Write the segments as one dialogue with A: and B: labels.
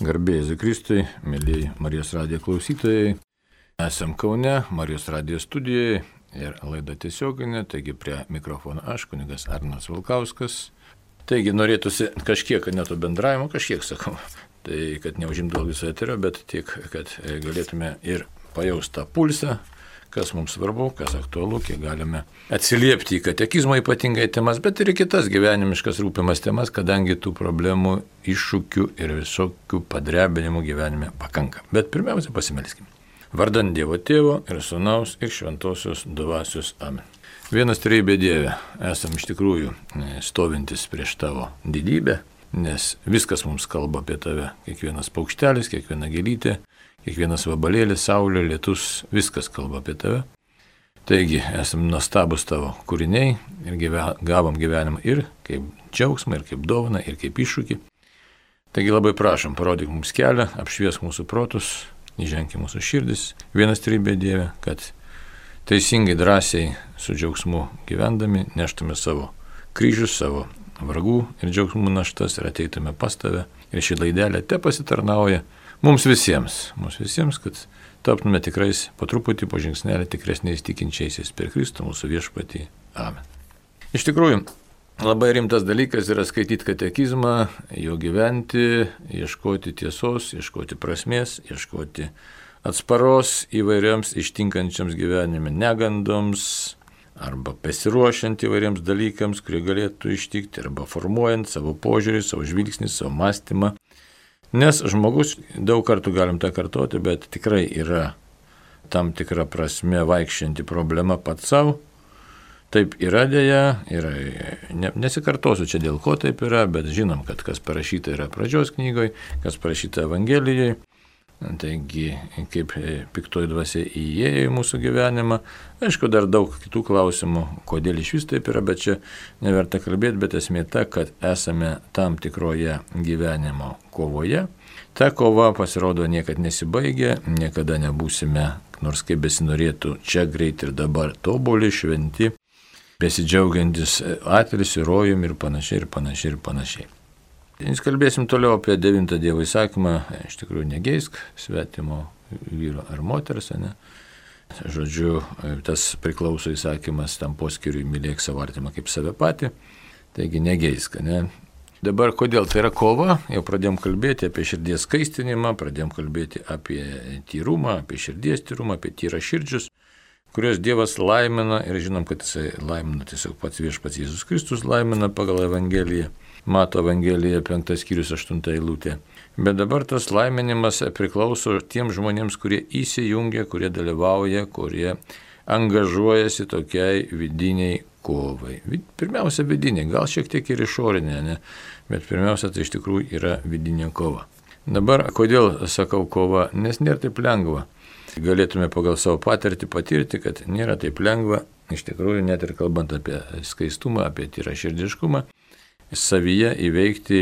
A: Garbė Jėzui Kristui, mėlyjei Marijos radijo klausytojai. Esam Kaune, Marijos radijo studijoje ir laida tiesioginė, taigi prie mikrofono aš, kunigas Arnas Valkauskas. Taigi norėtųsi kažkiek, ne to bendravimo, kažkiek sakau, tai kad neužimtų viso eterio, bet tiek, kad galėtume ir pajausti tą pulsą, kas mums svarbu, kas aktualu, kiek galime atsiliepti į katekizmo ypatingai temas, bet ir į kitas gyvenimiškas rūpimas temas, kadangi tų problemų, iššūkių ir visokių padrebinimų gyvenime pakanka. Bet pirmiausia pasimelskime. Vardant Dievo Tėvo ir Sūnaus ir Šventosios Dvasios. Amen. Vienas trejybė Dieve, esam iš tikrųjų stovintis prieš tavo didybę, nes viskas mums kalba apie tave. Kiekvienas paukštelis, kiekviena gėlytė, kiekvienas vabalėlis, saulė, lietus, viskas kalba apie tave. Taigi, esam nuostabus tavo kūriniai ir gavom gyvenimą ir kaip džiaugsmą, ir kaip dovaną, ir kaip iššūkį. Taigi labai prašom, parodyk mums kelią, apšviesk mūsų protus, įženk į mūsų širdis. Vienas trejybė Dieve, kad teisingai, drąsiai, su džiaugsmu gyvendami neštume savo kryžius, savo vargų ir džiaugsmų naštas ir ateitume pas tave. Ir ši laidelė te pasitarnauja mums visiems, kad taptume tikrais po truputį, po žingsnelį tikresniais tikinčiaisiais per Kristų mūsų viešpatį. Amen. Iš tikrųjų, labai rimtas dalykas yra skaityti katekizmą, jo gyventi, ieškoti tiesos, ieškoti prasmės, ieškoti atsparos įvairioms ištinkančiams gyvenime negandoms, arba pasiruošiant įvairiems dalykams, kurie galėtų ištikti, arba formuojant savo požiūrį, savo žvilgsnį, savo mąstymą. Nes žmogus, daug kartų galim tą kartoti, bet tikrai yra tam tikra prasme vaikščianti problema pats savo. Taip yra dėja, nesikartosiu čia dėl ko taip yra, bet žinom, kad kas parašyta yra pradžios knygoje, kas parašyta Evangelijoje. Taigi, kaip piktoji dvasia įėjo į mūsų gyvenimą. Aišku, dar daug kitų klausimų, kodėl iš vis taip yra, bet čia neverta kalbėti, bet esmė ta, kad esame tam tikroje gyvenimo kovoje. Ta kova, pasirodo, niekad nesibaigia, niekada nebūsime, nors kaip besinorėtų, čia greit ir dabar tobuli, šventi, besidžiaugiantis atilsiu, rojum ir panašiai. Kalbėsim toliau apie 9 Dievo įsakymą, iš tikrųjų negeisk svetimo vyro ar moters, ne? Žodžiu, tas priklauso įsakymas tam poskiriui mylėk savo artimą kaip save patį, taigi negeisk, ne? Dabar kodėl tai yra kova, jau pradėjom kalbėti apie širdies skaistinimą, pradėjom kalbėti apie tyrumą, apie širdies tyrumą, apie tyrą širdžius, kurios Dievas laimina ir žinom, kad jisai laimina tiesiog pats viešpats Jėzus Kristus laimina pagal Evangeliją. Mato Evangelija 5 skyrius 8 eilutė. Bet dabar tas laiminimas priklauso tiems žmonėms, kurie įsijungia, kurie dalyvauja, kurie angažuojasi tokiai vidiniai kovai. Pirmiausia vidiniai, gal šiek tiek ir išorinė, ne? Bet pirmiausia tai iš tikrųjų yra vidinė kova. Dabar kodėl sakau kova? Nes nėra taip lengva. Galėtume pagal savo patirtį patirti, kad nėra taip lengva, iš tikrųjų net ir kalbant apie skaistumą, apie tyraširdiškumą, savyje įveikti,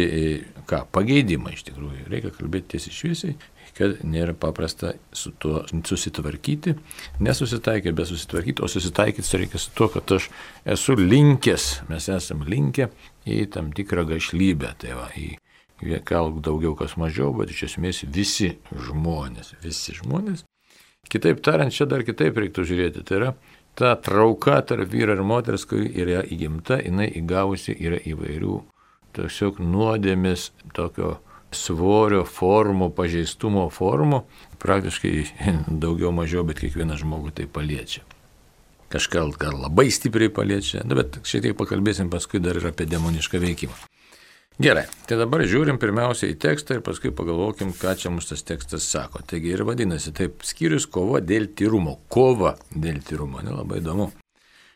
A: pageidimą iš tikrųjų. Reikia kalbėti tiesiai šviesiai, kad nėra paprasta su tuo susitvarkyti, nesusitaikyti, bet susitvarkyti, o susitaikyti reikia su tuo, kad aš esu linkęs, mes esam linkę į tam tikrą gašlybę, tai va, gal daugiau kas mažiau, bet iš esmės visi žmonės. Kitaip tariant, čia dar kitaip reiktų žiūrėti, tai yra ta trauka tarp vyro ir moters, kuri yra įgimta, jinai įgavusi yra įvairių tiesiog nuodėmės, tokio svorio formų, pažeistumo formų, praktiškai daugiau mažiau, bet kiekvieną žmogų tai paliečia. Kažką gal labai stipriai paliečia, bet šiek tiek pakalbėsim paskui dar ir apie demonišką veikimą. Gerai, tai dabar žiūrim pirmiausia į tekstą ir paskui pagalvokim, ką čia mums tas tekstas sako. Taigi ir vadinasi taip, skyrius kova dėl tyrumo. Kova dėl tyrumo, labai įdomu.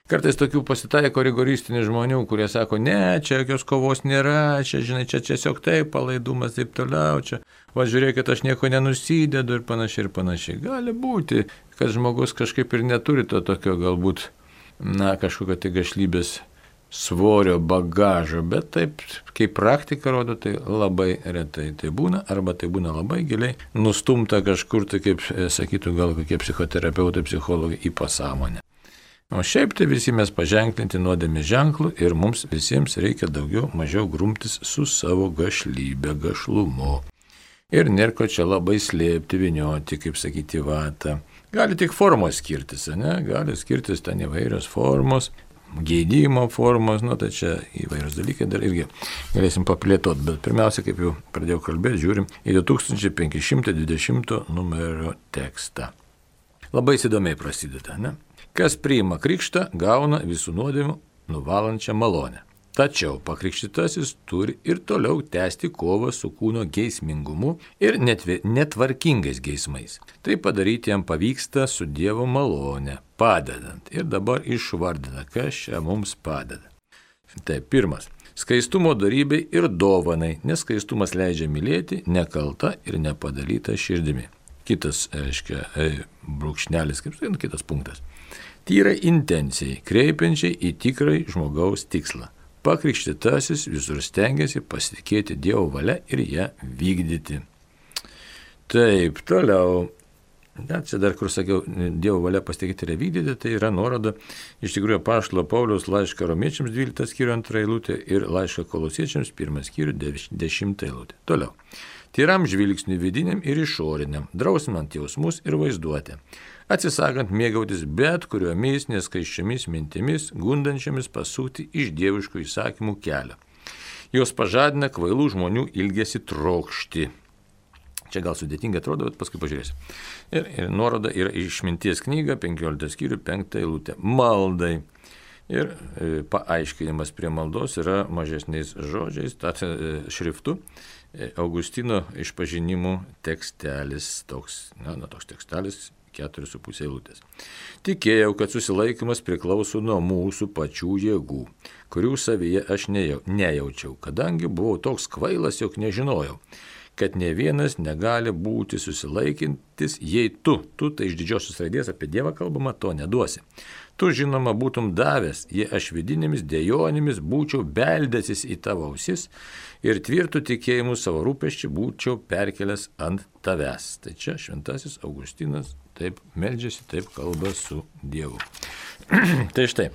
A: Kartais tokių pasitaiko rigoristinių žmonių, kurie sako, ne, čia jokios kovos nėra, čia, žinai, čia tiesiog taip, palaidumas taip toliau, čia, va žiūrėkit, aš nieko nenusidedu ir panašiai. Gali būti, kad žmogus kažkaip ir neturi to tokio galbūt, kažkokio tai gašlybės svorio bagažo, bet taip, kaip praktika rodo, tai labai retai tai būna, arba tai būna labai giliai nustumta kažkur, tai kaip sakytų gal kokie psichoterapeutai, psichologai į pasąmonę. O šiaip tai visi mes paženklinti nuodėmės ženklų ir mums visiems reikia daugiau, mažiau grumtis su savo gašlybe, gašlumu. Ir nėra ko čia labai slėpti, vinioti, kaip sakyti, vatą. Gali tik formos skirtis, ne? Gali skirtis ten įvairios formos, geidimo formos, tai čia įvairios dalykai dar irgi galėsim paplėtoti, bet pirmiausia, kaip jau pradėjau kalbėti, žiūrim į 2520 numerio tekstą. Labai įdomiai prasideda, ne? Kas priima krikštą, gauna visų nuodėmių nuvalančią malonę. Tačiau pakrikštytasis turi ir toliau tęsti kovą su kūno geismingumu ir netvarkingais geismais. Tai padaryti jam pavyksta su Dievo malone, padedant. Ir dabar išvardina, kas čia mums padeda. Tai pirmas. Skaistumo darybei ir dovanai, nes skaistumas leidžia mylėti nekalta ir nepadalyta širdimi. Kitas, brūkšnelis, kitas punktas. Tyrai intencijai, kreipiančiai į tikrai žmogaus tikslą. Pakrikštytasis visur stengiasi pasitikėti Dievo valia ir ją vykdyti. Taip, toliau. Čia dar, kur sakiau, Dievo valia pasitikėti ir ją vykdyti, tai yra nuoroda iš tikrųjų apaštalo Pauliaus laišką Romiečiams 12 skyrių 2 eilutė ir laišką Kolosiečiams 1 skyrių 10 eilutė. Toliau. Tyram žvilgsniui vidiniam ir išoriniam, drausminant jausmus ir vaizduotę, atsisakant mėgautis bet kuriomis neskaiščiomis mintimis, gundančiamis pasukti iš dieviškų įsakymų kelią. Jos pažadina kvailų žmonių ilgesį trokšti. Čia gal sudėtingai atrodo, bet paskui pažiūrėsiu. Ir nuoroda yra išminties knyga, 15 skyrių, 5 eilutė. Maldai. Ir paaiškinimas prie maldos yra mažesniais žodžiais, šriftu. Augustino išpažinimų tekstelis, toks tekstelis, 4,5 eilutės. Tikėjau, kad susilaikymas priklauso nuo mūsų pačių jėgų, kurių savyje aš nejaučiau, kadangi buvau toks kvailas, jog nežinojau, kad ne vienas negali būti susilaikintis, jei tu tai iš didžiosios raidės apie Dievą kalbama, to neduosi. Tu, žinoma, būtum davęs, jei aš vidinėmis dejonėmis būčiau beldęsis į tavo ausis ir tvirtų tikėjimų savo rūpesčių būčiau perkelęs ant tavęs. Tai čia šventasis Augustinas taip meldžiasi, taip kalba su Dievu. Tai štai,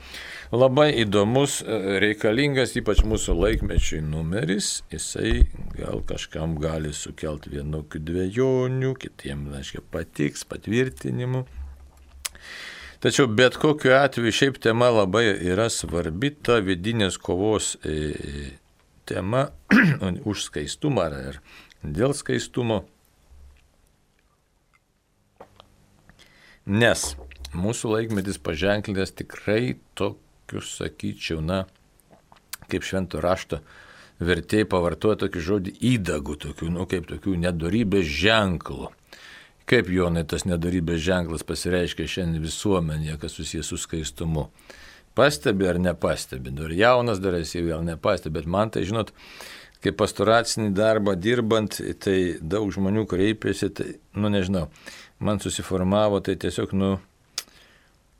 A: labai įdomus, reikalingas, ypač mūsų laikmečiui numeris, jisai gal kažkam gali sukelti vienokių dvejonių, kitiems, patiks, patvirtinimų. Tačiau bet kokiu atveju šiaip tema labai yra svarbi, ta vidinės kovos tema už skaistumą ar dėl skaistumo. Nes mūsų laikmetis paženklintas tikrai tokius, sakyčiau, kaip švento rašto vertėjai pavartoja tokį žodį įdagų, kaip tokių nedorybės ženklų. Kaip, Jonai, tas nedarybės ženklas pasireiškia šiandien visuomenėje, kas susijęs su skaistumu? Pastebi ar nepastebi? Dar jaunas dar esi, gal nepastebi, bet man tai, žinot, kaip pastoracinį darbą dirbant, tai daug žmonių kreipiasi, tai, nežinau, man susiformavo, tai tiesiog,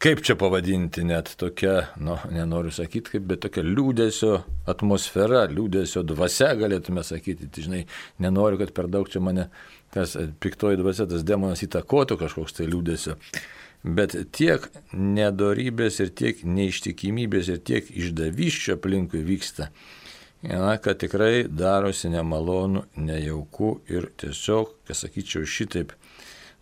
A: kaip čia pavadinti, net tokia, nenoriu sakyti kaip, bet tokia liūdesio atmosfera, liūdesio dvasia, galėtume sakyti. Tai, žinai, nenoriu, kad per daug čia mane tas piktoji dvasia, tas demonas įtakotų kažkoks tai liūdesio. Bet tiek nedorybės ir tiek neištikimybės ir tiek išdavysčio aplinkui vyksta, kad tikrai darosi nemalonu, nejauku ir tiesiog, sakyčiau, šitaip,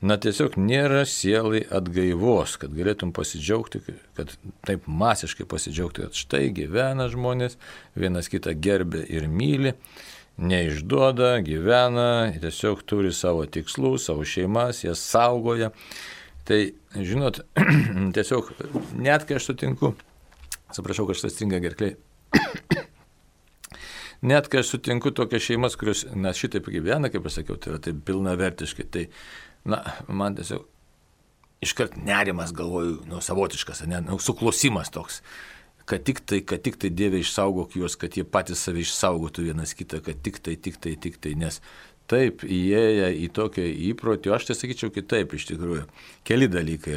A: tiesiog nėra sielai atgaivos, kad galėtum pasidžiaugti, kad taip masiškai pasidžiaugti, kad štai gyvena žmonės, vienas kitą gerbia ir myli, neišduoda, gyvena, tiesiog turi savo tikslų, savo šeimas, jas saugoja. Tai, žinot, tiesiog net kai aš sutinku, atsiprašau, kad šitas stringa gerkliai, net kai aš sutinku tokias šeimas, kurios šitaip gyvena, kaip aš sakiau, tai yra taip pilnavertiškai, tai man tiesiog iškart nerimas, galvoju, savotiškas, suklosimas toks, kad tik tai Dieve išsaugok juos, kad jie patys save išsaugotų vienas kitą, kad tik tai, nes taip įėję į tokią įprotį, aš tai sakyčiau kitaip iš tikrųjų. Keli dalykai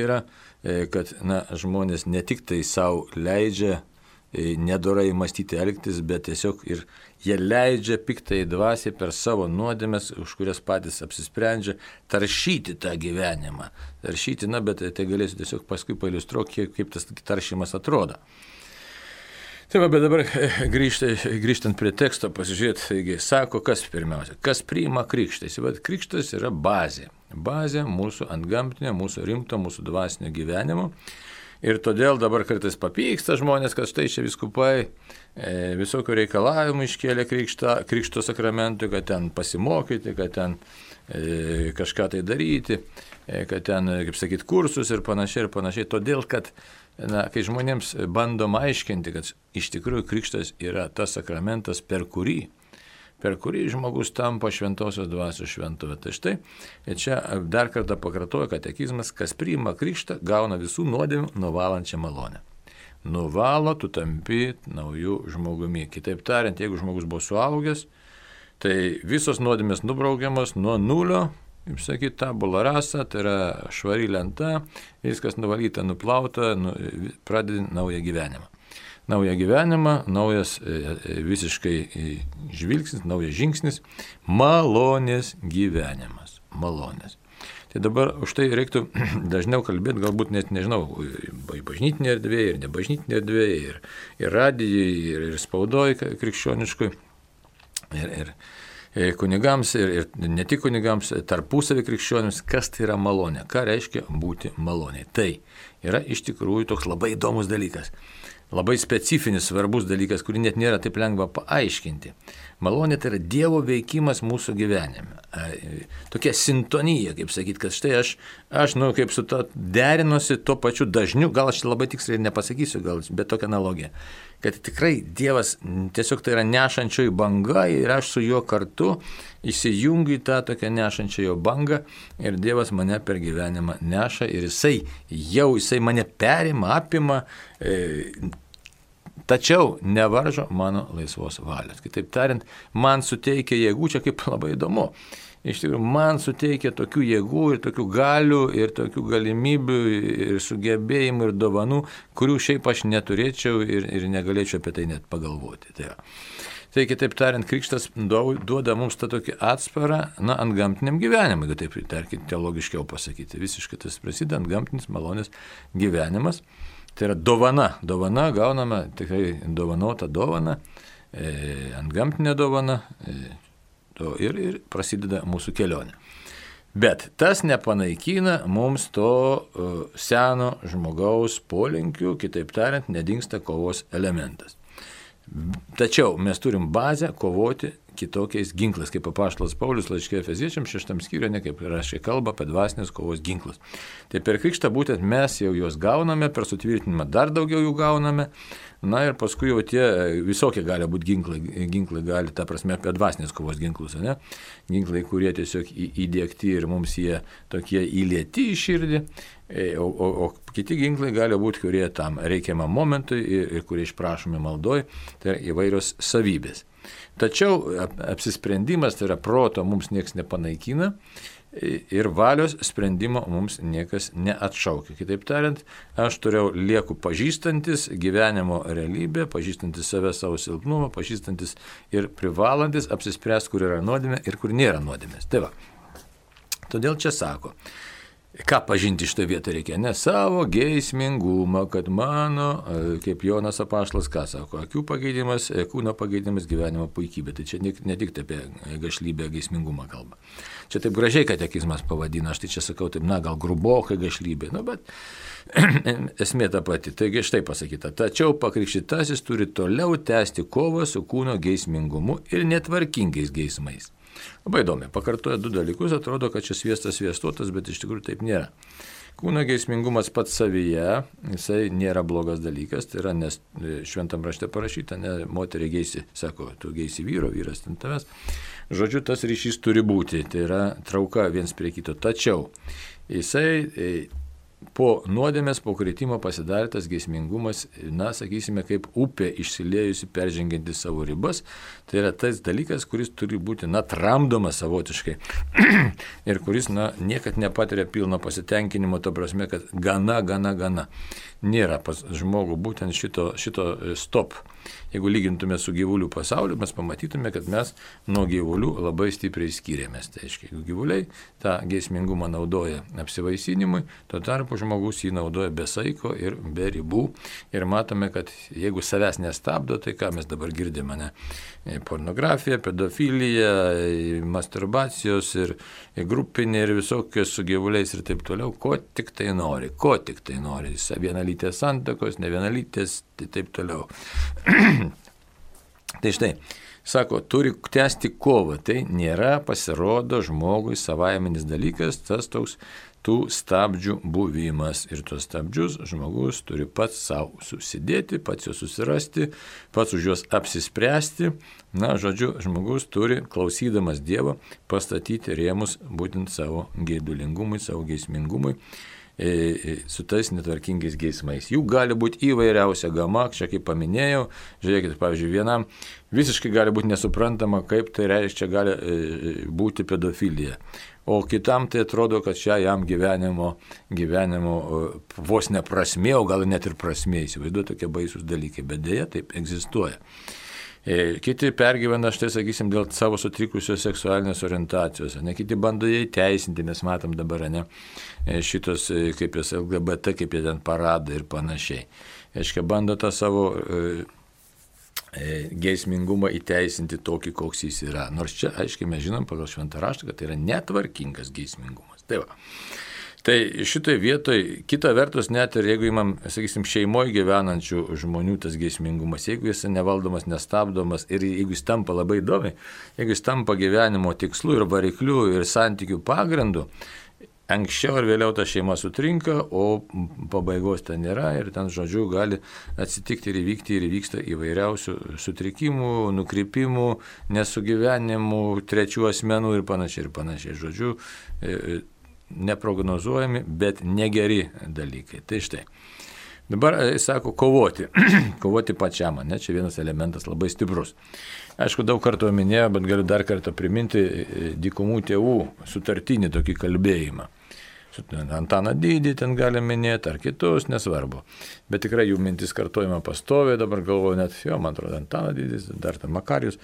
A: yra, kad žmonės ne tik tai savo leidžia nedorai mąstyti elgtis, bet tiesiog ir jie leidžia piktai dvasiai per savo nuodėmes, už kurias patys apsisprendžia, taršyti tą gyvenimą. Bet tai galėsiu tiesiog paskui pailiustruoti, kaip tas taršymas atrodo. Taip, bet dabar grįžtant prie teksto, pasižiūrėti, taigi, sako, kas pirmiausia, kas priima krikštą. Krikštas yra bazė. Bazė mūsų antgamtinio, mūsų rimto, mūsų dvasinio gyvenimo. Ir todėl dabar kartais papyksta žmonės, kad štai čia vyskupai visokių reikalavimų iškėlė krikšto sakramentui, kad ten pasimokyti, kad ten kažką tai daryti, kad ten, kaip sakyti, kursus ir panašiai ir panašiai. Todėl, kad kai žmonėms bandom aiškinti, kad iš tikrųjų krikštas yra tas sakramentas, per kurį žmogus tampa šventosios dvasios šventuve. Tai štai, čia dar kartą pakartoja katekizmas, kas priima krikštą, gauna visų nuodėmių nuvalančią malonę. Nuvalo, tu tampi naujų žmogumi. Kitaip tariant, jeigu žmogus buvo suaugęs, tai visos nuodėmės nubraukiamos nuo nulio, kaip sakyti, tabula rasa, tai yra švari lenta, viskas nuvalyta, nuplauta, pradedi naują gyvenimą. Naują gyvenimą, naujas visiškai žvilgsnis, naujas žingsnis, malonės gyvenimas, malonės. Tai dabar už tai reiktų dažniau kalbėti, galbūt net nežinau, bažnytinė erdvė ir nebažnytinė erdvė, ir radijai, ir spaudoj krikščioniškui, ir kunigams, ir ne tik kunigams, tarpusavį krikščionims, kas tai yra malonė, ką reiškia būti maloniai. Tai yra iš tikrųjų toks labai įdomus dalykas, labai specifinis, svarbus dalykas, kurį net nėra taip lengva paaiškinti. Malonė tai yra Dievo veikimas mūsų gyvenime. Tokia sintonija, kaip sakyti, kad štai aš kaip su to derinosi tuo pačiu dažniu, gal aš labai tiksliai ir nepasakysiu, bet tokia analogija. Kad tikrai Dievas tiesiog tai yra nešančioji banga ir aš su juo kartu įsijungiu į tą tokią nešančiojo bangą ir Dievas mane per gyvenimą neša ir jisai mane perima, apima, tačiau nevaržo mano laisvos valios. Kitaip tariant, man suteikia jėgų, čia kaip labai įdomu. Iš tikrųjų, man suteikia tokių jėgų ir tokių galių ir tokių galimybių ir sugebėjimų ir dovanų, kurių šiaip aš neturėčiau ir negalėčiau apie tai net pagalvoti. Tai kitaip tariant, krikštas duoda mums tą tokį atsparą, antgamtiniam gyvenimui, jeigu taip, tarkim, teologiškiau pasakyti. Visiškai tas prasideda antgamtinis malonės gyvenimas. Tai yra dovana gauname, tikrai dovanota dovana, antgamtinė dovana. Ir prasideda mūsų kelionė. Bet tas nepanaikina mums to seno žmogaus polinkių, kitaip tariant, nedingsta kovos elementas. Tačiau mes turim bazę kovoti kitokiais ginklais, kaip apaštalas Paulius laiške Efeziečiams 6 skyriuje, kaip rašė kalba apie dvasinės kovos ginklus. Tai per krikštą būtent mes jau juos gauname, per sutvirtinimą dar daugiau jų gauname, ir paskui jau tie visokie gali būti ginklai gali, ta prasme, apie dvasinės kovos ginklus, ne? Ginklai, kurie tiesiog įdiegti ir mums jie tokie įlieti į širdį, o kiti ginklai gali būti, kurie tam reikiamam momentui ir kurie išprašomi maldoj, tai yra įvairios savybės. Tačiau apsisprendimas, tai yra proto, mums niekas nepanaikina ir valios sprendimo mums niekas neatšaukia. Kitaip tariant, aš lieku pažįstantis gyvenimo realybę, pažįstantis save, savo silpnumą, pažįstantis ir privalantis apsispręsti, kur yra nuodėmė ir kur nėra nuodėmės. Tai va. Todėl čia sako, ką pažinti šitą vietą reikia? Ne savo geismingumą, kad mano, kaip Jonas apaštalas, ką sako, akių pageidimas, kūno pageidimas, gyvenimo puikybė. Tai čia ne tik apie gašlybę, geismingumą kalba. Čia taip gražiai katekizmas pavadina, aš tai čia sakau, taip, gal grubokai gašlybė, bet esmė ta pati. Taigi štai pasakyta, tačiau pakrikštytasis turi toliau tęsti kovą su kūno geismingumu ir netvarkingais geismais. Labai įdomi, pakartoja du dalykus, atrodo, kad čia sviestas sviestuotas, bet iš tikrųjų taip nėra. Kūno geismingumas pats savyje, jisai nėra blogas dalykas, tai yra, nes šventam rašte parašyta, ne, moteriai geisi, sako, tu geisi vyro, vyras ten tavęs. Žodžiu, tas ryšys turi būti, tai yra trauka viens prie kito. Tačiau jisai po nuodėmės, po kritimo pasidarytas geismingumas, sakysime, kaip upė išsiliejusi, peržengianti savo ribas, tai yra tas dalykas, kuris turi būti, tramdomas savotiškai ir kuris, niekad nepatiria pilno pasitenkinimo, to prasme, kad gana. Nėra pas žmogų būtent šito stop. Jeigu lygintume su gyvulių pasauliu, mes pamatytume, kad mes nuo gyvulių labai stipriai skiriamės. Tai aiškiai, gyvuliai tą geismingumą naudoja apsivaisinimui, tuo tarpu tempo žmogus jį naudoja be saiko ir be ribų. Ir matome, kad jeigu savęs nestabdo, tai ką mes dabar girdime, ne? Pornografija, pedofilija, masturbacijos ir grupinė ir visokios su gyvuliais ir taip toliau, ko tik tai nori. Vienalytės santuokos, ne vienalytės, tai taip toliau. Tai štai, sako, turi tęsti kovą, tai nėra, pasirodo, žmogui savaiminis dalykas, tas toks tų stabdžių buvimas. Ir tuos stabdžius žmogus turi pats savo susidėti, pats juos susirasti, pats už juos apsispręsti. Na, žodžiu, žmogus turi, klausydamas Dievo, pastatyti rėmus būtent savo geidulingumui, savo geismingumui, su tais netvarkingais geismais. Jų gali būti įvairiausia gama, čia kaip paminėjau, žiūrėkit, pavyzdžiui, vienam visiškai gali būti nesuprantama, kaip tai reiškia gali būti pedofilija. O kitam tai atrodo, kad čia jam gyvenimo vos neprasmė, o gal net ir prasmė, įsivaizduoju, tokie baisus dalykai, bet dėja taip egzistuoja. Kiti pergyvena, štai sakysim, dėl savo sutrikusios seksualinės orientacijos, ne, kiti bando jai teisinti, mes matom dabar, ne, šitos, kaip jas LGBT, kaip jie ten parada ir panašiai. Aiškia, bando tą savo geismingumą įteisinti tokį, koks jis yra. Nors čia, aiškiai, mes žinom pagal Šventą raštą, kad tai yra netvarkingas geismingumas. Tai va. Tai šitoje vietoje, kita vertus, net ir jeigu imam, sakysim, šeimoje gyvenančių žmonių tas geismingumas, jeigu jis nevaldomas, nestabdomas ir jeigu jis tampa labai įdomiai, jeigu jis tampa gyvenimo tikslu ir varikliu ir santykių pagrindu, anksčiau ar vėliau ta šeima sutrinka, o pabaigos ten nėra ir ten, žodžiu, gali atsitikti ir įvykti ir įvyksta įvairiausių sutrikimų, nukrypimų, nesugyvenimų, trečių asmenų ir panašiai. Žodžiu, neprognozuojami, bet negeri dalykai. Tai štai. Dabar, sako, kovoti. Kovoti pačiam, ne? Čia vienas elementas labai stiprus. Aišku, daug kartų minėjau, bet galiu dar kartą priminti dykumų tėvų sutartinį tokį kalbėjimą. Antaną Didį ten galime minėti, ar kitus, nesvarbu. Bet tikrai jų mintis kartojama pastoviai, dabar galvoju net, man atrodo, Antaną Didis, dar ten Makarijus,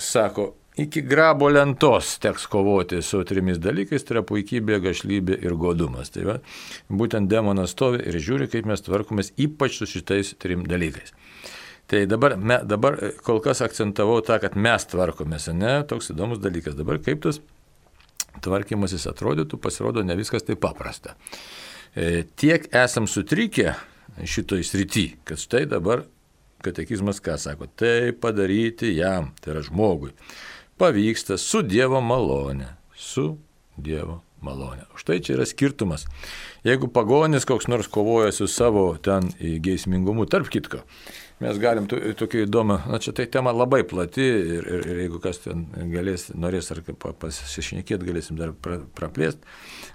A: sako, iki grabo lentos teks kovoti su trimis dalykais, tai yra puikybė, gašlybė ir godumas. Tai va, būtent demonas stovi ir žiūri, kaip mes tvarkomės ypač su šitais trim dalykais. Tai dabar kol kas akcentavau tą, kad mes tvarkomės, ne, toks įdomus dalykas. Dabar kaip tas tvarkymasis atrodytų, pasirodo ne viskas taip paprasta. Tiek esam sutrikę šitoj srity, kad štai dabar katekizmas ką sako, tai padaryti jam, tai yra žmogui, pavyksta su Dievo malone. Štai čia yra skirtumas. Jeigu pagonis koks nors kovoja su savo ten geismingumu, tarp kitko, mes galim tokį įdomą, čia tai tema labai plati ir jeigu kas ten norės ar pasišnekėti, galėsim dar praplėsti,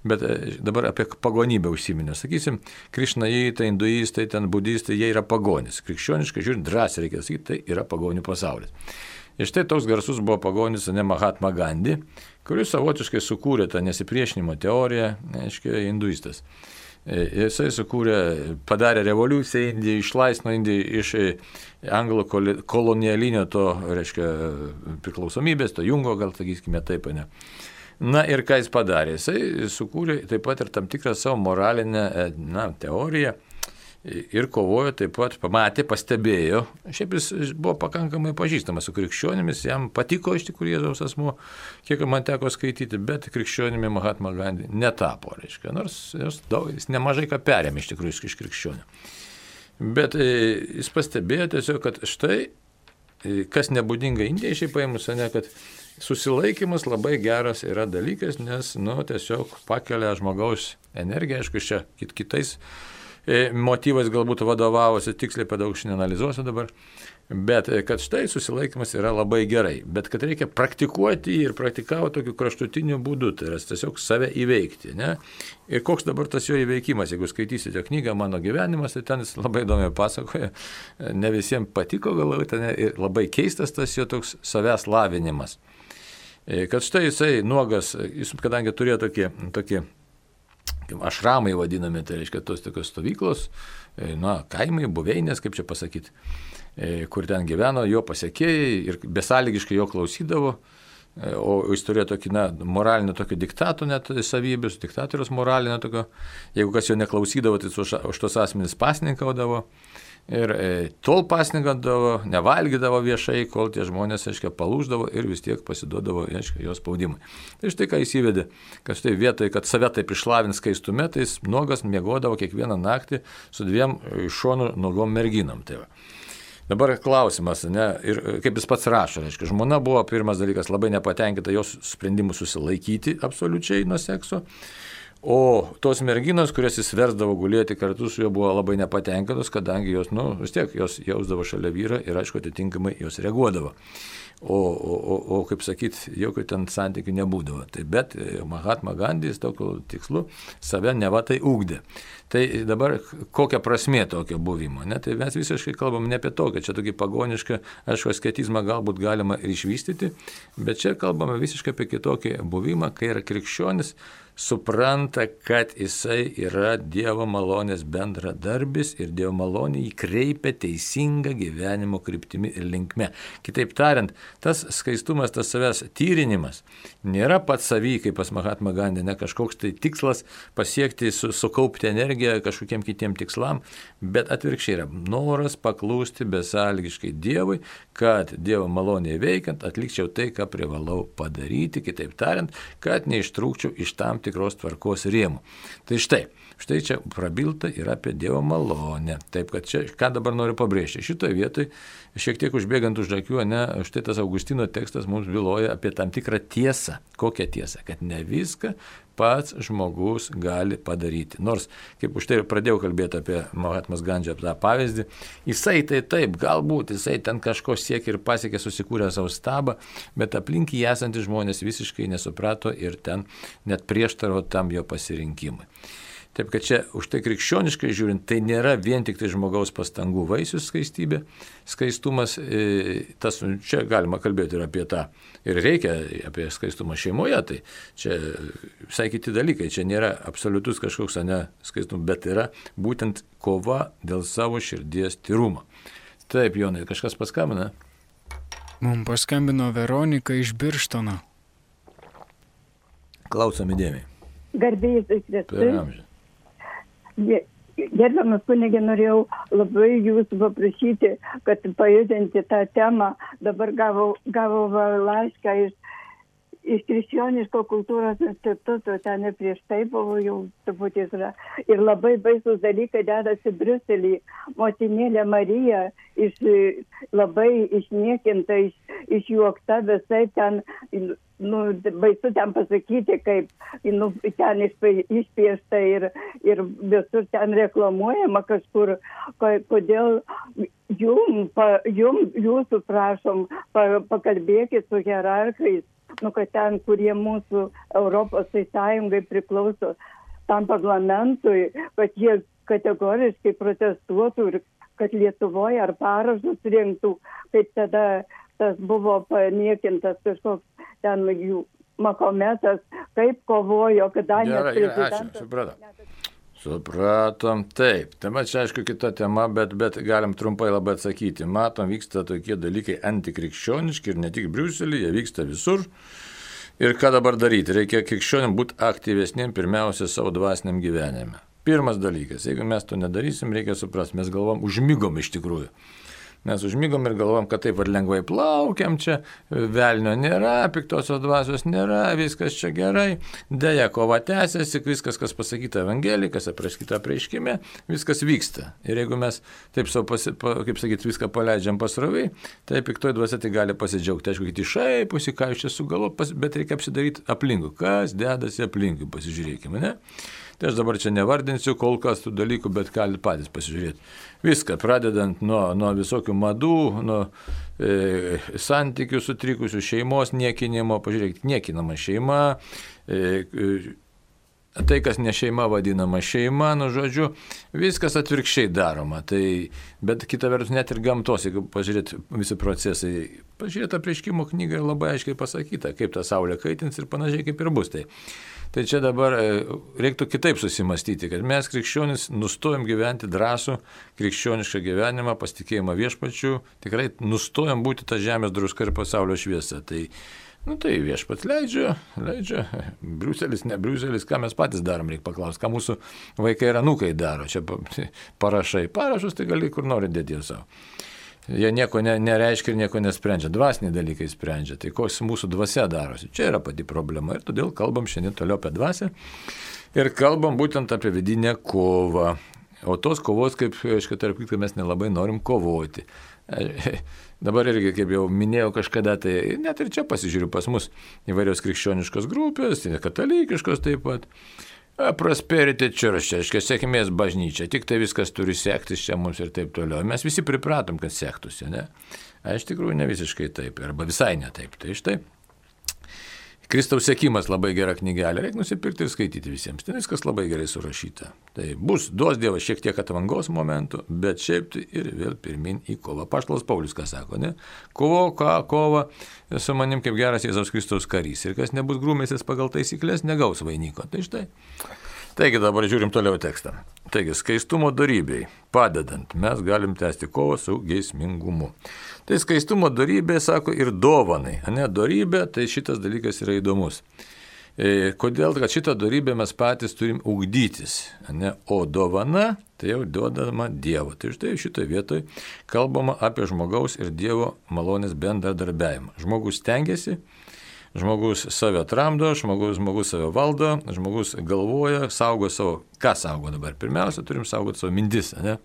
A: bet dabar apie pagonybę užsiminę. Sakysim, krišnaitai, hinduistai, ten budistai, jie yra pagonis. Krikščioniškai žiūrint, drąsiai reikia sakyti, tai yra pagonių pasaulis. Ir štai toks garsus buvo pagonis, ne, Mahatma Gandhi, kuris savotiškai sukūrė tą nesipriešinimo teoriją, aiškiai, hinduistas. Jisai padarė revoliuciją Indiją, išlaisvino Indiją iš anglų kolonialinio to, reiškia, priklausomybės, to jungo, gal sakykime taip, ne. Na ir ką jis padarė? Jisai sukūrė taip pat ir tam tikrą savo moralinę teoriją ir kovojo taip pat, pamatė, pastebėjo, šiaip jis buvo pakankamai pažįstamas su krikščionimis, jam patiko iš tikrųjų Jėzaus asmuo, kiek man teko skaityti, bet krikščionimi Mahatma Gandhi netapo, reiškia, nors jis nemažai ką perėmė iš tikrųjų iš krikščionių. Bet jis pastebėjo tiesiog, kad štai, kas nebūdinga Indijai šiaip paėmus, ne, kad susilaikymas labai geras yra dalykas, nes, tiesiog pakelia žmogaus energiją, aišku, čia kitais motyvais galbūt vadovavosi, tiksliai per daug neanalizuosiu dabar, bet kad štai susilaikymas yra labai gerai, bet kad reikia praktikuoti ir praktikauti tokiu kraštutiniu būdu, tai yra tiesiog save įveikti, ne? Ir koks dabar tas jo įveikimas, jeigu skaitysite knygą Mano gyvenimas, tai ten jis labai įdomiai pasakoja, ne visiems patiko galbūt, ir labai keistas tas jo toks savęs lavinimas. Kad štai jisai nuogas, jis kadangi turėjo tokį ašramai vadinami, tai reiškia tos tokios stovyklos, kaimai, buveinės, kaip čia pasakyti, kur ten gyveno jo pasekėjai ir besąlygiškai jo klausydavo, o jis turėjo tokį, moralinį tokį diktato net savybės, diktatorius moralinio tokio, jeigu kas jo neklausydavo, tai už tos asmenys pasninkaudavo. Ir tol pasninkaudavo, nevalgydavo viešai, kol tie žmonės, aiškiai, palūždavo ir vis tiek pasiduodavo, aiškiai, jos spaudimui. Tai štai ką jis įvedė, kad štai vietoj, kad save taip išlavins skaistume, tai jis nuogas miegodavo kiekvieną naktį su 2 iš šonų nuogom merginom. Tai va. Dabar klausimas, ir kaip jis pats rašo, reiškia, žmona buvo pirmas dalykas labai nepatenkinta jos sprendimu susilaikyti absoliučiai nuo sekso. O tos merginos, kurias jis versdavo gulėti kartu su juo, buvo labai nepatenkintos, kadangi jos, vis tiek, jos jausdavo šalia vyrą ir, aišku, atitinkamai jos reaguodavo. O kaip sakyt, jokių ten santykių nebūdavo. Tai bet Mahatma Gandhis tokiu tikslu save neva tai ugdė. Tai dabar kokia prasmė tokio buvimo? Tai mes visiškai kalbam ne apie tokią, čia tokį pagonišką, aišku, asketizmą galbūt galima ir išvystyti, bet čia kalbame visiškai apie kitokį buvimą, kai yra krikščionis, supranta, kad jisai yra Dievo malonės bendradarbis ir Dievo malonė jį kreipia teisingą gyvenimo kryptimi ir linkme. Kitaip tariant, tas skaistumas, tas savęs tyrinimas nėra pats savy, kaip pas Mahatma Gandhi, ne kažkoks tai tikslas pasiekti, sukaupti energiją kažkokiem kitiem tikslam, bet atvirkščiai yra noras paklūsti besąlygiškai Dievui, kad Dievo malonėje veikiant atlikčiau tai, ką privalau padaryti, kitaip tariant, kad neištrūkčiau iš tam tikros tvarkos rėmų. Tai štai čia prabilta yra apie Dievo malonę. Taip, kad čia, ką dabar noriu pabrėžti, šitoje vietoje, šiek tiek užbėgant už akių, štai tas Augustino tekstas mums byloja apie tam tikrą tiesą. Kokią tiesą? Kad ne viską pats žmogus gali padaryti. Nors, kaip už tai pradėjau kalbėti apie Mahatmas Gandžio tą pavyzdį, jisai tai taip, galbūt jisai ten kažko siekia ir pasiekė, susikūrė savo stabą, bet aplink jį esantys žmonės visiškai nesuprato ir ten net prieštaravo tam jo pasirinkimui. Taip, kad čia už tai krikščioniškai žiūrint, tai nėra vien tik tai žmogaus pastangų vaisius skaistybė, skaistumas, čia galima kalbėti ir apie tą, ir reikia apie skaistumą šeimoje, tai čia visai kiti dalykai, čia nėra absoliutus kažkoks skaistumas, bet yra būtent kova dėl savo širdies tyrumo. Taip, Jonai, kažkas paskambina?
B: Mums paskambino Veronika iš Birštono.
A: Klausom įdėmiai.
C: Garbėjus Kristui. Gerbiamas kunigė, norėjau labai jūsų paprašyti, kad pajudinti tą temą. Dabar gavau laišką iš Krikščioniško kultūros instituto, ten ir prieš tai buvo jau truputį yra. Ir labai baisus dalykai dedasi Briuselį. Motinėlė Marija labai išniekinta, išjuokta visai ten. Baisu ten pasakyti, kaip ten išpiešta ir visur ten reklamuojama kažkur, kodėl jūsų prašom, pakalbėkit su hierarchais, kad ten, kurie mūsų Europos Sąjungai priklauso tam parlamentui, kad jie kategoriškai protestuotų ir kad Lietuvoje ar parašus rinktų, kaip tada tas buvo paniekintas kažkoks ten jų Mahometas, kaip kovojo, kadangi prezidentas...
A: Supratom, taip. Tema čia aišku kita tema, bet galim trumpai labai atsakyti. Matom, vyksta tokie dalykai antikrikščioniški ir ne tik Briuselyje, jie vyksta visur. Ir ką dabar daryti? Reikia krikščionim būti aktyvesniem pirmiausia savo dvasiniam gyvenime. Pirmas dalykas, jeigu mes to nedarysim, reikia suprasti, mes galvom, užmigom iš tikrųjų. Mes užmigom ir galvom, kad taip ar lengvai plaukiam čia, velnio nėra, piktosios dvasios nėra, viskas čia gerai, deja kova tęsiasi, viskas, kas pasakyta Evangelijai, kas aprašyta apreiškime, viskas vyksta. Ir jeigu mes taip savo, kaip sakyti, viską paleidžiam pasroviai, tai piktoji dvasia tai gali pasidžiaugti. Aišku, kiti šaipusi, ką iš čia sugalvo, bet reikia apsidaryti aplinkui. Kas dedasi aplinkui, pasižiūrėkime, ne? Tai aš dabar čia nevardinsiu kol kas tų dalykų, bet galite patys pasižiūrėti. Viską, pradedant nuo visokių madų, nuo santykių sutrikusių, šeimos niekinimo, pažiūrėkit, niekinama šeima, tai, kas ne šeima vadinama šeima, žodžiu, viskas atvirkščiai daroma. Tai, bet kita vertus net ir gamtos, jeigu pažiūrėt visi procesai, pažiūrėt apreiškimo knygą ir labai aiškiai pasakyta, kaip ta saulė kaitins ir panašiai kaip ir bus. Tai čia dabar reiktų kitaip susimastyti, kad mes krikščionys nustojam gyventi drąsų krikščionišką gyvenimą, pasitikėjimą viešpačiu, tikrai nustojam būti ta žemės druska ir pasaulio šviesa. Tai Nu tai viešpats leidžia, Briuselis, ne Briuselis, ką mes patys darom, reikia paklausti, ką mūsų vaikai ir anūkai daro. Čia parašus, tai gali kur nori dėti savo. Jie nieko nereiškia ir nieko nesprendžia, dvasiniai dalykai sprendžia, tai koks mūsų dvasia darosi. Čia yra pati problema ir todėl kalbam šiandien toliau apie dvasią ir kalbam būtent apie vidinę kovą. O tos kovos, kaip, aišku, tarp kitko, mes nelabai norim kovoti. Dabar irgi, kaip jau minėjau kažkada, tai net ir čia pasižiūriu pas mus įvairios krikščioniškos grupės, katalikiškos taip pat. Prosperity Church, aiškiai, sėkmės bažnyčia, tik tai viskas turi sektis čia mums ir taip toliau. Mes visi pripratom, kad sektųsi, ne? A iš tikrųjų ne visiškai taip, arba visai ne taip. Tai štai. Kristaus sekimas labai gera knygelė, reikia nusipirkti ir skaityti visiems. Ten viskas labai gerai surašyta. Tai duos Dievas šiek tiek atvangos momentų, bet šiaip tai ir vėl pirmin į kovą. Apaštalas Paulius ką sako, ne? Kova su manim kaip geras Jėzaus Kristaus karys. Ir kas nebus grūmėsis pagal taisyklės, negaus vainiko. Tai štai. Taigi dabar žiūrim toliau tekstą. Taigi skaistumo dorybei padedant mes galim tęsti kovą su geismingumu. Tai skaistumo dorybė, sako, ir dovanai. Ne, dorybė, tai šitas dalykas yra įdomus. Kodėl? Kad šitą dorybę mes patys turim ugdytis. Ne? O dovana, tai jau duodama Dievo. Tai štai šitoje vietoje kalbama apie žmogaus ir Dievo malonės bendradarbiavimą. Žmogus stengiasi, žmogus save tramdo, žmogus save valdo, žmogus galvoja, saugo savo. Ką saugo dabar? Pirmiausia, turim saugoti savo mintis, ne?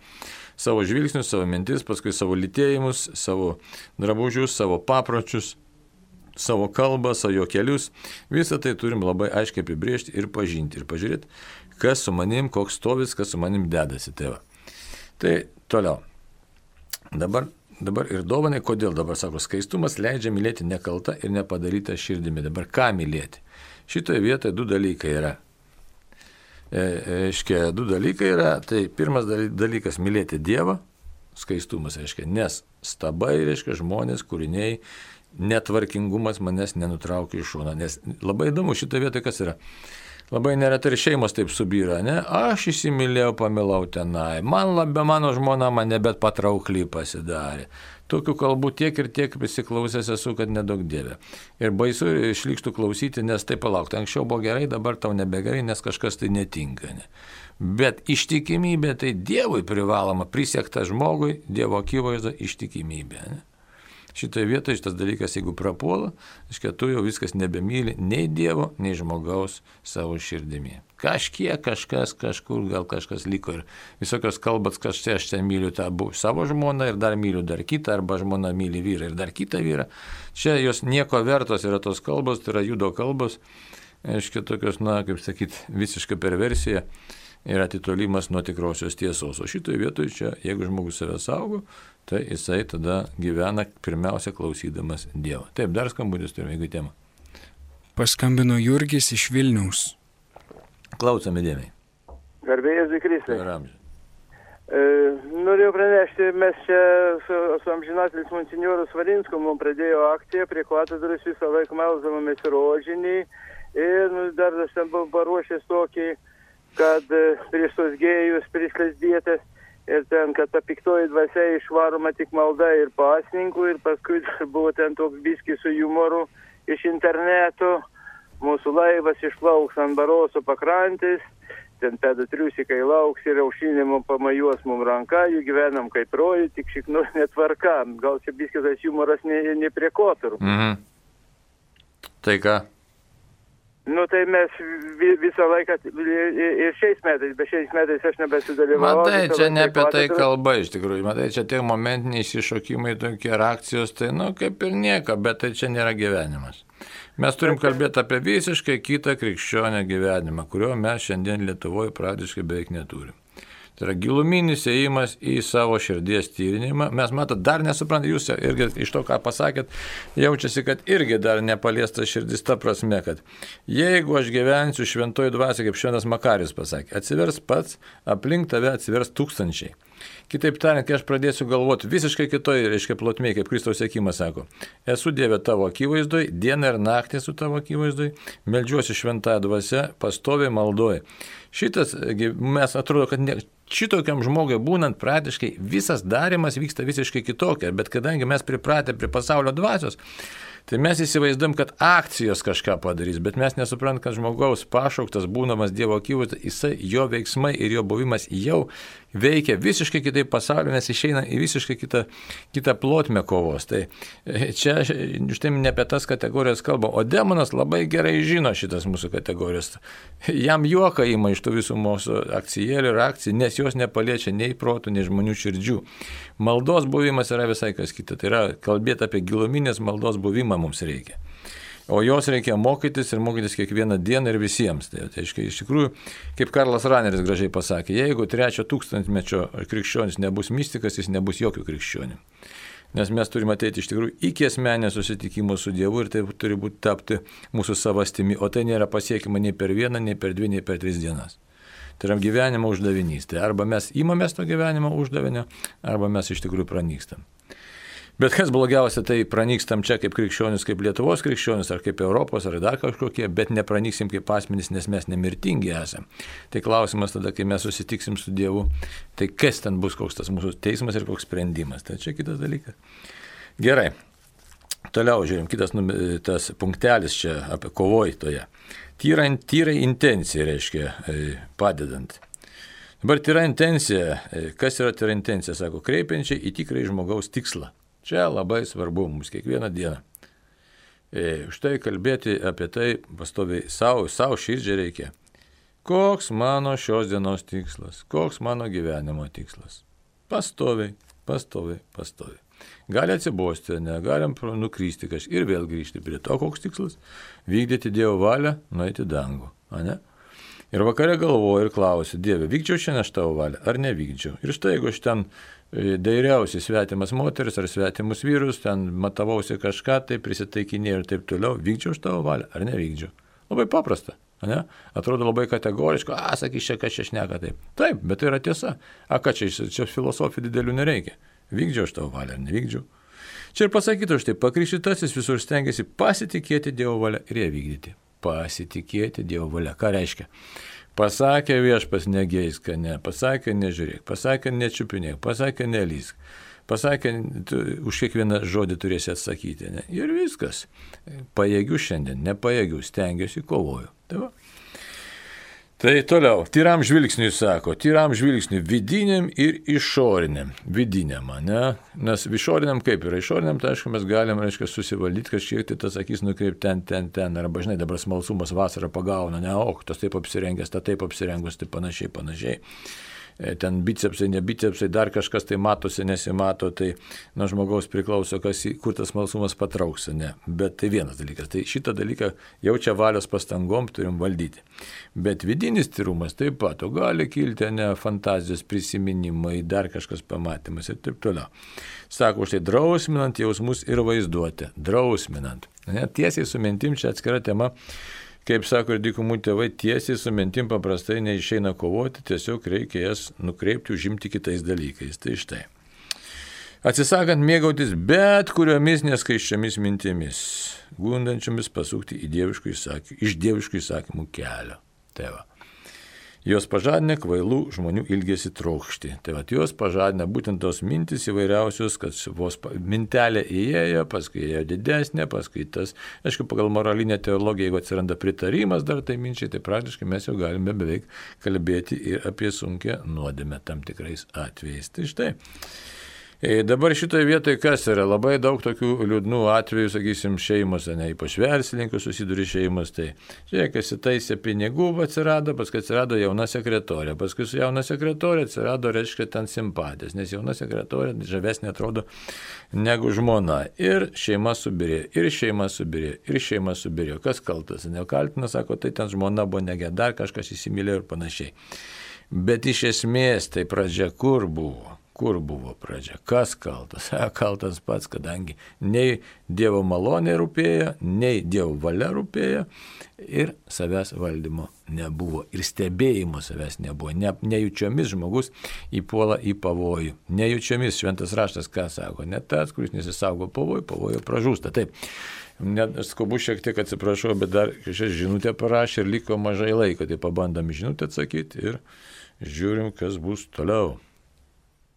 A: Savo žvilgsnius, savo mintis, paskui savo lytėjimus, savo drabužius, savo papročius, savo kalbą, savo kelius. Visą tai turim labai aiškiai apibriežti ir pažinti. Ir pažiūrėti, kas su manim, koks stovis, kas su manim dedasi. Tai toliau. Dabar ir dovanai, kodėl dabar sako, skaistumas leidžia mylėti nekaltą ir nepadarytą širdimi. Dabar ką mylėti? Šitoje vietoje du dalykai yra. Du dalykai yra. Tai pirmas dalykas - mylėti Dievą, skaistumas, reiškia, nes stabai, reiškia, žmonės, kūriniai, netvarkingumas manęs nenutraukia iš šono. Nes labai įdomu šitoje vietoje, kas yra. Labai neretai ir šeimos taip subyra, ne? Aš įsimylėjau, pamilau tenai, mano žmona man nebet patraukly pasidarė. Tokių kalbų tiek ir tiek prisiklausęs esu, kad nedaug dievė. Ir baisu išlikštų klausyti, nes tai palaukti. Anksčiau buvo gerai, dabar tau nebegerai, nes kažkas tai netinka. Ne? Bet ištikimybė tai Dievui privaloma, prisiekta žmogui, Dievo akivaizdo ištikimybė. Ne? Šitoje vietoje šitas dalykas, jeigu prapuola, reiškia, tu jau viskas nebemyli nei Dievo, nei žmogaus savo širdimi. Kažkiek, kažkur, gal kažkas liko ir visokios kalbas, kad štai aš čia myliu tą savo žmoną ir dar myliu dar kitą, arba žmona myli vyrą ir dar kitą vyrą. Čia jos nieko vertos yra tos kalbos, tai yra judo kalbos, reiškia, tokios, kaip sakyti, visiška perversija ir atitolimas nuo tikrosios tiesos. O šitoje vietoje čia, jeigu žmogus save saugo, tai jisai tada gyvena pirmiausia klausydamas Dievo. Taip, dar skambutis turime, jeigu temą.
B: Paskambino Jurgis iš Vilniaus.
A: Klausome dėmiai.
D: Garbė Jėzui Kristui.
A: Ir
D: Norėjau pranešti, mes čia su amžinatilis monsinjoru Svarinsku mums pradėjo akciją, prie katedros visą laiką melsdavomės rožinį ir dar aš ten buvau paruošęs tokį, kad prieš tos gėjus, prieš lesbietės ir ten, kad ta piktoji dvasia išvaroma tik malda ir pasninkų ir paskui buvo ten toks biskis su humoru iš interneto, mūsų laivas išplauks ant Baroso pakrantės, ten pedatriusikai lauks ir aušinimo pamajuos mums ranka, jų gyvenam kaip rojų, tik šiknu netvarka. Gal čia biskis tas humoras ne prie koturų.
A: Mhm. Tai ką?
D: Nu tai mes visą laiką ir šiais metais, bet šiais metais aš nebesidalyvau.
A: Matai, čia ne apie tai kalba iš tikrųjų. Matai, čia tie momentiniai išsišokimai, tokie reakcijos, tai kaip ir nieko, bet tai čia nėra gyvenimas. Mes turim kalbėti apie visiškai kitą krikščionę gyvenimą, kurio mes šiandien Lietuvoje praktiškai beveik neturim. Tai yra giluminis ėjimas į savo širdies tyrinimą. Mes, matot, dar nesuprantate, jūs irgi iš to, ką pasakėt, jaučiasi, kad irgi dar nepaliesta širdis ta prasme, kad jeigu aš gyvensiu šventoji dvasia, kaip šventas Makarijus pasakė, atsivers pats, aplink tave atsivers tūkstančiai. Kitaip tariant, kai aš pradėsiu galvoti visiškai kitoj, reiškia, plotmėje, kaip Kristaus siekimas sako, esu Dieve tavo akivaizdoj, dieną ir naktį su tavo akivaizdoj, meldžiuosi šventąją dvasią, pastoviai maldoju. Šitas, mes atrodo, kad šitokiam žmogui būnant praktiškai visas darimas vyksta visiškai kitokia, bet kadangi mes pripratę prie pasaulio dvasios, Tai mes įsivaizduom, kad akcijos kažką padarys, bet mes nesuprantam, kad žmogaus pašauktas, būdamas Dievo akivaizdoje, jisai, jo veiksmai ir jo buvimas jau veikia visiškai kitaip pasaulio, nes išeina į visiškai kitą plotmę kovos. Tai čia štai ne apie tas kategorijas kalba, o demonas labai gerai žino šitas mūsų kategorijas. Jam juoka ima iš tų visų mūsų akcijėlių ir akcijų, nes jos nepaliečia nei protų, nei žmonių širdžių. Maldos buvimas yra visai kas kita. Tai yra kalbėti apie giluminės maldos buvimą mums reikia. O jos reikia mokytis ir mokytis kiekvieną dieną ir visiems. Tai iš tikrųjų, kaip Karlas Raneris gražiai pasakė, jeigu 3 tūkstantmečio krikščionis nebus mystikas, jis nebus jokių krikščionių. Nes mes turime ateiti iš tikrųjų iki asmeninio susitikimo su Dievu ir tai turi būti tapti mūsų savastimi, o tai nėra pasiekima nei per 1, nei per 2, nei per 3 dienas. Tai yra gyvenimo uždavinys. Tai arba mes imamės to gyvenimo uždavinio, arba mes iš tikrųjų pranykstam. Bet kas blogiausia, tai pranykstam čia kaip krikščionis, kaip Lietuvos krikščionis, ar kaip Europos, ar dar kažkokie, bet nepranyksim kaip asmenys, nes mes nemirtingi esame. Tai klausimas tada, kai mes susitiksim su Dievu, tai kas ten bus, koks tas mūsų teismas ir koks sprendimas. Tai čia kitas dalykas. Gerai. Toliau žiūrim, kitas tas punktelis čia apie kovoitoje. Tyra intencija reiškia padedant. Dabar tyra intencija, kas yra tyra intencija, sako, kreipiančiai į tikrąjį žmogaus tikslą. Čia labai svarbu mums kiekvieną dieną. Štai kalbėti apie tai pastoviai savo širdžiai reikia. Koks mano šios dienos tikslas? Koks mano gyvenimo tikslas? Pastoviai. Gali atsibosti, negalim nukrysti kažkaip ir vėl grįžti prie to, koks tikslas. Vykdyti Dievo valią, nueiti dangų. Ne? Ir vakare galvoju ir klausiu, Dieve, vykdžiau šiandien aš tavo valią, ar nevykdžiau? Ir štai, jeigu aš ten dairiausi svetimas moteris ar svetimus vyrus, ten matavausi kažką, tai prisitaikinėjau ir taip toliau, vykdžiau aš tavo valią, ar nevykdžiau? Labai paprasta. Ne? Atrodo labai kategoriško, sakys čia, kas čia šneka taip. Taip, bet tai yra tiesa. Ką čia filosofijų didelių nereikia. Vykdžiau aš tavo valią, ar nevykdžiau. Čia ir pasakytų štai, pakrikštytasis visur stengiasi pasitikėti Dievo valią ir ją vykdyti. Pasitikėti Dievo valią. Ką reiškia? Pasakė viešpas negeisk, ne, pasakė nežiūrėk, pasakė nečiupinėk, pasakė nelysk, pasakė už kiekvieną žodį turėsi atsakyti. Ne? Ir viskas. Pajėgiu šiandien, nepajėgiu, stengiuosi, kovoju. Tai toliau, tyram žvilgsniui sako, tyram žvilgsniui vidiniam ir išoriniam. Vidiniam, ne? Nes išoriniam kaip yra? Išoriniam, tai aišku, mes galim, susivaldyti kažkiek, tai tas akis nukreipti ten, arba žinai, dabar smalsumas vasarą pagauna, ne, tas taip apsirengęs, ta taip apsirengus, tai panašiai. Ten bicepsai, ne bicepsai, dar kažkas tai matosi, nesimato, tai nuo žmogaus priklauso, kur tas smalsumas patrauks, ne. Bet tai vienas dalykas, tai šitą dalyką jaučia valios pastangom turim valdyti. Bet vidinis tyrumas taip pat, gali kilti, ne, fantazijos prisiminimai, dar kažkas pamatymas ir taip toliau. Sako, štai drausminant jausmus ir vaizduotę, drausminant. Ne, tiesiai su mintim čia atskira tema. Kaip sako ir dykumų tėvai, tiesiai su mintim paprastai neišeina kovoti, tiesiog reikia jas nukreipti, užimti kitais dalykais. Tai štai. Atsisakant mėgautis bet kuriomis neskaiščiomis mintimis, gundančiomis pasukti iš dieviškų įsakymų kelio. Tai va. Jos pažadina kvailų žmonių ilgesį trokšti. Tai va, jos pažadina būtent tos mintis įvairiausios, kad vos mintelė įėjo, paskui įėjo didesnė, paskui tas, aišku, pagal moralinę teologiją, jeigu atsiranda pritarimas dar tai minčiai, tai praktiškai mes jau galime beveik kalbėti ir apie sunkią nuodėmę tam tikrais atvejais. Tai štai. Dabar šitoje vietoje kas yra? Labai daug tokių liūdnų atvejų, sakysim, šeimose, ne, ypač verslininkų susiduri šeimos, tai žiūrėk, įsitaisė pinigų, atsirado, paskui atsirado jauna sekretorė, paskui su jauna sekretorė atsirado, reiškia, ten simpatijas, nes jauna sekretorė žavesnė atrodo negu žmona. Ir šeima subirėjo. Kas kaltas? Nekaltina, sako, tai ten žmona buvo negė, dar kažkas įsimylėjo ir panašiai. Bet iš esmės tai pradžia kur buvo? Kur buvo pradžia? Kas kaltas? Kaltas pats, kadangi nei Dievo malonė rūpėjo, nei Dievo valia rūpėjo ir savęs valdymo nebuvo. Ir stebėjimo savęs nebuvo. Nejučiomis žmogus įpuola į pavojų. Nejučiomis šventas raštas ką sako? Ne tas, kuris nesisaugo pavojų pražūsta. Taip. Net skubu šiek tiek atsiprašau, bet dar šią žinutę parašė ir liko mažai laiko. Tai pabandom žinutę atsakyti ir žiūrim, kas bus toliau.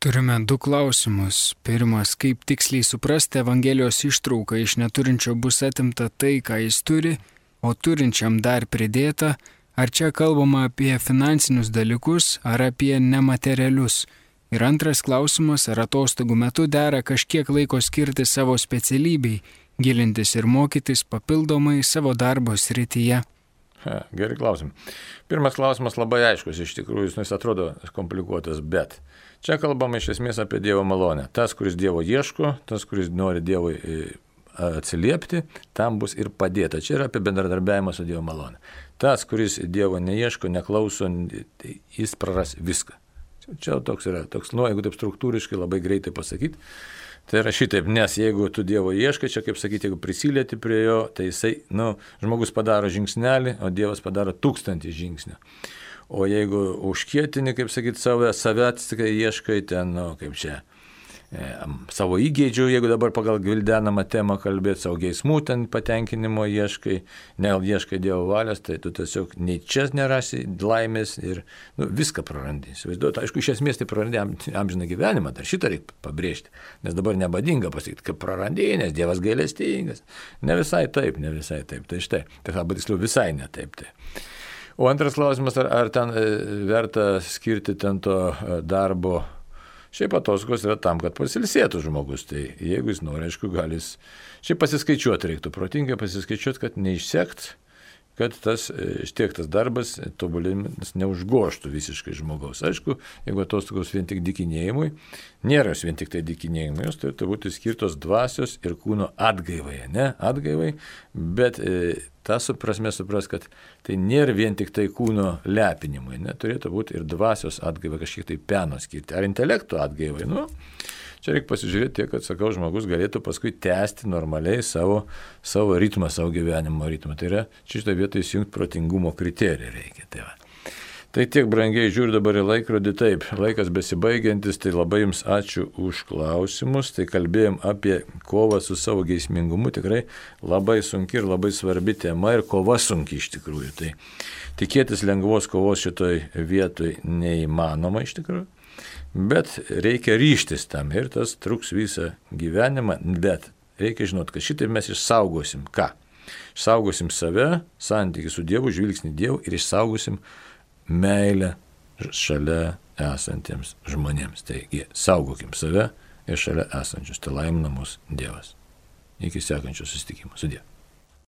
B: Turime 2 klausimus. Pirmas, kaip tiksliai suprasti Evangelijos ištrauką iš neturinčio bus atimta tai, ką jis turi, o turinčiam dar pridėta, ar čia kalbama apie finansinius dalykus ar apie nematerialius. Ir antras klausimas, ar atostogų metu dera kažkiek laiko skirti savo specialybei, gilintis ir mokytis papildomai savo darbo srityje.
A: Gerai klausimai. Pirmas klausimas labai aiškus, iš tikrųjų jis atrodo komplikuotas, bet čia kalbama iš esmės apie Dievo malonę. Tas, kuris Dievo ieško, tas, kuris nori Dievui atsiliepti, tam bus ir padėta. Čia yra apie bendradarbiavimą su Dievo malonė. Tas, kuris Dievo neieško, neklauso, jis praras viską. Čia toks yra, jeigu taip struktūriškai labai greitai pasakyti, tai yra šitaip, nes jeigu tu Dievo ieškai, čia kaip sakyti, jeigu prisilieti prie jo, tai jisai, žmogus padaro žingsnelį, o Dievas padaro 1000 žingsnių. O jeigu užkietini, kaip sakyti, save atsikai ieškai ten, kaip čia, savo įgeidžių, jeigu dabar pagal gvildenamą temą kalbėti, savo geismų ten patenkinimo ieškai, ieškai Dievo valios, tai tu tiesiog nei čia nerasi laimės ir viską prarandi. Įsivaizduoju, aišku, iš esmės tai prarandi amžiną gyvenimą, dar šitą reikia pabrėžti, nes dabar nebadinga pasakyti, kaip prarandi, nes Dievas gailestingas. Ne visai taip. Tai štai, tai tiksliau visai ne taip. Tai. O antras klausimas, ar ten verta skirti ten to darbo. Šiaip atostogos yra tam, kad pasilsėtų žmogus. Tai jeigu jis nori, aišku, gali šiaip pasiskaičiuoti, reiktų protingai pasiskaičiuoti, kad neišsekt, kad tas darbas, tobulinimas neužgoštų visiškai žmogaus. Aišku, jeigu atostogos vien tik dykinėjimui, nėra jos vien tik tai dykinėjimui, jos turėtų būti skirtos dvasios ir kūno atgaivai, ne atgaivai, bet tą prasme supras, kad tai nėra vien tik tai kūno lepinimui, ne, turėtų būti ir dvasios atgaivai, kažkiek tai peno skirti, ar intelekto atgaivai, Čia reikia pasižiūrėti tiek, kad, sakau, žmogus galėtų paskui tęsti normaliai savo ritmą, savo gyvenimo ritmą. Tai yra, čia šitą vietą įsijungti protingumo kriterijų reikia. Tai tiek, brangiai, žiūriu dabar į laikrodį, taip, laikas besibaigiantis, tai labai jums ačiū už klausimus. Tai kalbėjom apie kovą su savo geismingumu, tikrai labai sunki ir labai svarbi tema ir kova sunki iš tikrųjų. Tai tikėtis lengvos kovos šitoj vietoj neįmanoma iš tikrųjų. Bet reikia ryštis tam ir tas truks visą gyvenimą, bet reikia žinoti, kad šitai mes išsaugosim ką? Išsaugosim save, santykį su Dievu, žvilgsnį Dievu ir išsaugosim meilę šalia esantiems žmonėms. Taigi, saugokim save ir šalia esančius. Tai laimina mus Dievas. Iki sekančio susitikimo. Sudie.